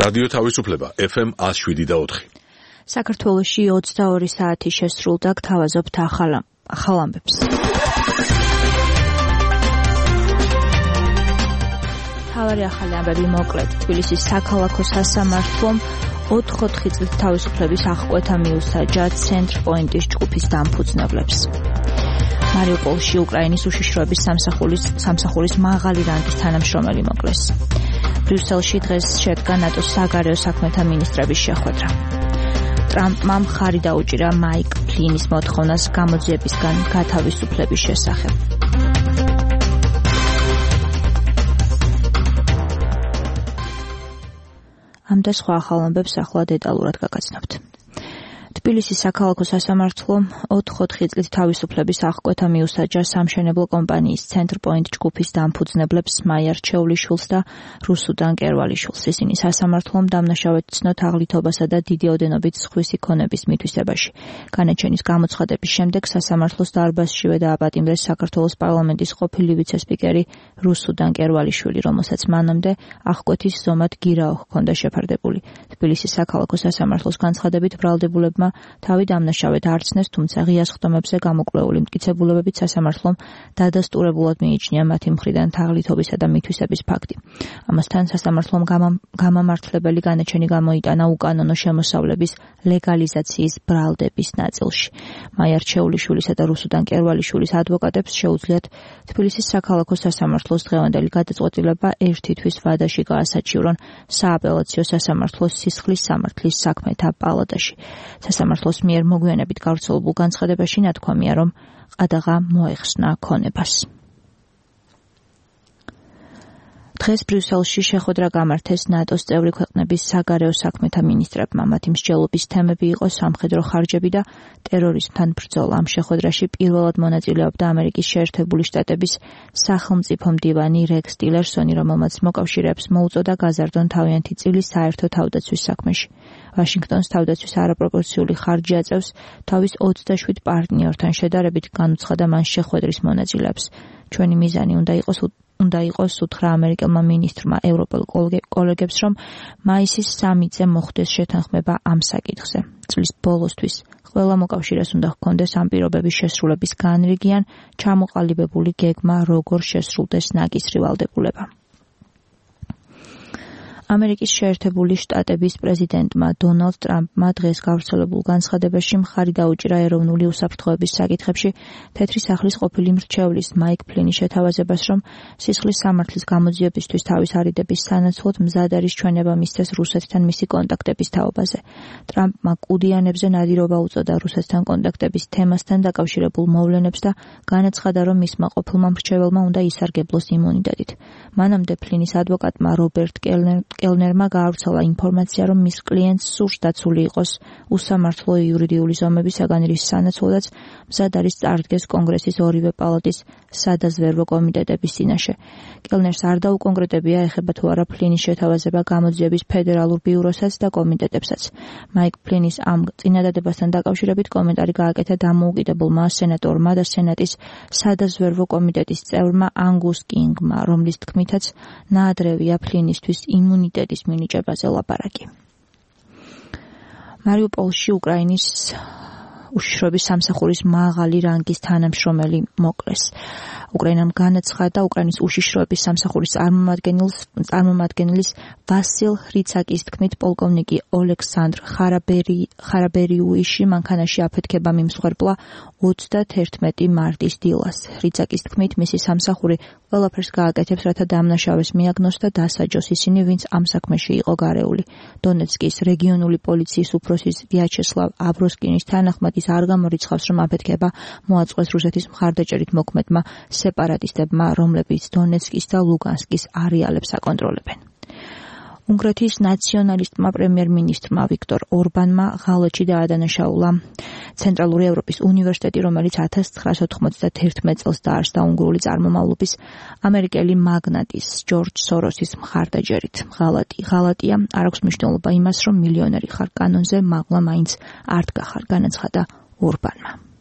რადიო თავისუფლება FM 107.4. საქართველოში 22 საათი შესრულდა, გთავაზობთ ახალ ამბებს. თავარი ახალი ამბები მოკლედ. თბილისის საქალაქო სასამართლომ 4 წლის თავისუფლების აღკვეთა მიუსაჯა ცენტრ პოინტის ჯგუფის დამფუძნებლებს. მარიუპოლში უკრაინის უშიშროების სამსახურის მაღალი რანგის თანამშრომელი მოკლეს. ბრიუსელში დღეს შედგა ნატოს საგარეო საქმეთა მინისტრების შეხვედრა. ტრამპმა მხარი დაუჭირა მაიკ ფლინის მოთხოვნას გამოძიებისგან გათავისუფლების შესახებ. ამ და სხვა ახალ ამბებს ახლა დეტალურად გაგაცნობთ. თბილისის საქალაქო სასამართლომ 4 წლის თავისუფლების აღკვეთა მიუსაჯა სამშენებლო კომპანიის ცენტრ პოინტ ჯგუფის დამფუძნებლებს მაია რჩეულიშვილს და რუსუდან კერვალიშვილს. ისინი სასამართლომ დამნაშავედ ცნოთ აღლითობასა და დიდი ოდენობით სხვისი ქონების მითვისებაში. განაჩენის გამოცხადების შემდეგ სასამართლოს დარბაზშივე დააპატიმრეს საქართველოს პარლამენტის ყოფილი ვიცე-სპიკერი რუსუდან კერვალიშვილი, რომელსაც მანამდე აღკვეთის ზომად გირაო ჰქონდა შეფარდებული. თბილისის საქალაქო სასამართლოს განცხადებით ბრალდებულებმა თავი დამნაშავედ არცნეს, თუმცა ღია სხდომებზე გამოკვლეული მტკიცებულებებით სასამართლომ დადასტურებულად მიიჩნია მათი მხრიდან თაღლითობისა და მითვისების ფაქტი. ამასთან სასამართლომ გამამართლებელი განაჩენი გამოიტანა უკანონო შემოსავლების ლეგალიზაციის ბრალდების ნაწილში. მაია რჩეულიშვილისა და რუსუდან კერვალიშვილის ადვოკატებს შეუძლიათ თბილისის საქალაქო სასამართლოს დღევანდელი გადაწყვეტილება ერთი თვის ვადაში გაასაჩივრონ სააპელაციო სასამართლოს სისხლის სამართლის საქმეთა პალატაში. სასამართლოს მიერ მოგვიანებით გავრცელებულ განცხადებაში ნათქვამია, რომ ყადაღა მოეხსნა ქონებას. დღეს ბრიუსელში შეხვედრა გამართეს ნატოს წევრი ქვეყნების საგარეო საქმეთა მინისტრებმა. მათი მსჯელობის თემები იყო სამხედრო ხარჯები და ტერორიზმთან ბრძოლა. ამ შეხვედრაში პირველად მონაწილეობდა ამერიკის შეერთებული შტატების სახელმწიფო მდივანი რეკს ტილერსონი, რომელმაც მოკავშირეებს მოუწოდა გაზარდონ თავიანთი წილი საერთო თავდაცვის საქმეში. ვაშინგტონს თავდაცვის არაპროპორციული ხარჯი აწევს თავის 27 პარტნიორთან შედარებით, განუცხადა მან შეხვედრის მონაწილეებს. ჩვენი მიზანი უნდა იყოს უთხრა ამერიკელმა მინისტრმა ევროპელ კოლეგებს, რომ მაისის 3-ზე მოხდეს შეთანხმება ამ საკითხზე. წლის ბოლოსთვის ყველა მოკავშირეს უნდა ჰქონდეს ამ პირობების შესრულების განრიგი ან ჩამოყალიბებული გეგმა, როგორ შესრულდეს ნაკისრი ვალდებულება. ამერიკის შეერთებული შტატების პრეზიდენტმა დონალდ ტრამპმა დღეს გავრცელებულ განცხადებაში მხარი დაუჭირა ეროვნული უსაფრთხოების საკითხებში თეთრი სახლის ყოფილი მრჩევლის მაიკ ფლინის შეთავაზებას, რომ სისხლის სამართლის გამოძიებისთვის თავის არიდების სანაცვლოდ მზად არის ჩვენება მისცეს რუსეთთან მისი კონტაქტების თაობაზე. ტრამპმა კუდიანებზე ნადირობა უწოდა რუსეთთან კონტაქტების თემასთან დაკავშირებულ მოვლენებს და განაცხადა, რომ მისმა ყოფილმა მრჩეველმა უნდა ისარგებლოს იმუნიტეტით. მანამდე ფლინის ადვოკატმა რობერტ კელნერმა გაავრცელა ინფორმაცია, რომ მის კლიენტს სურს დაცული იყოს უსამართლო იურიდიული ზომებისაგან, რის სანაცვლოდაც მზად არის წარდგეს კონგრესის ორივე პალატის სადაზვერვო კომიტეტების წინაშე. კელნერს არ დაუკონკრეტებია, ეხება თუ არა ფლინის შეთავაზება გამოძიების ფედერალურ ბიუროსაც და კომიტეტებსაც. მაიკ ფლინის ამ წინადადებასთან დაკავშირებით კომენტარი გააკეთა დამოუკიდებელმა სენატორმა და სენატის სადაზვერვო კომიტეტის წევრმაანგუს კინგმა, რომლის თქმითაც ნაადრევია ფლინისთვის იმუნიტეტის მინიჭებაზე ლაპარაკი. მარიუპოლში უკრაინის უშიშროების სამსახურის მაღალი რანგის თანამშრომელი მოკლეს. უკრაინამ განაცხადა უკრაინის უშიშროების სამსახურის წარმომადგენლის ვასილ ხრიცაკის თქმით, პოლკოვნიკი ოლექსანდრ ხარაბერიუიში მანქანაში აფეთქება მიმსხვერპლა 31 მარტის დილას. ხრიცაკის თქმით, მისი სამსახური ყველაფერს გააკეთებს, რათა დამნაშავეს მიაგნოს და დასაჯოს ისინი, ვინც ამ საქმეში იყო გარეული. დონეცკის რეგიონული პოლიციის უფროსის ვიაჩესლავ აბროსკინის თანახმად არ გამორიცხავს, რომ აფეთქება მოაწყვეს რუსეთის მხარდაჭერით მოქმედმა სეპარატისტებმა, რომლებიც დონეცკის და ლუგანსკის არეალებს აკონტროლებენ. უნგრეთის ნაციონალისტმა პრემიერ-მინისტრმა ვიქტორ ორბანმა ღალატში დაადანაშაულა ცენტრალური ევროპის უნივერსიტეტი, რომელიც 1991 წელს დაარსდა უნგრული წარმომავლობის ამერიკელი მაგნატის ჯორჯ სოროსის მხარდაჭერით. ღალატია არ აქვს მნიშვნელობა იმას, რომ მილიონერი ხარ კანონზე, მაღლა მაინც არ დგახარ, განაცხადა ორბანმა.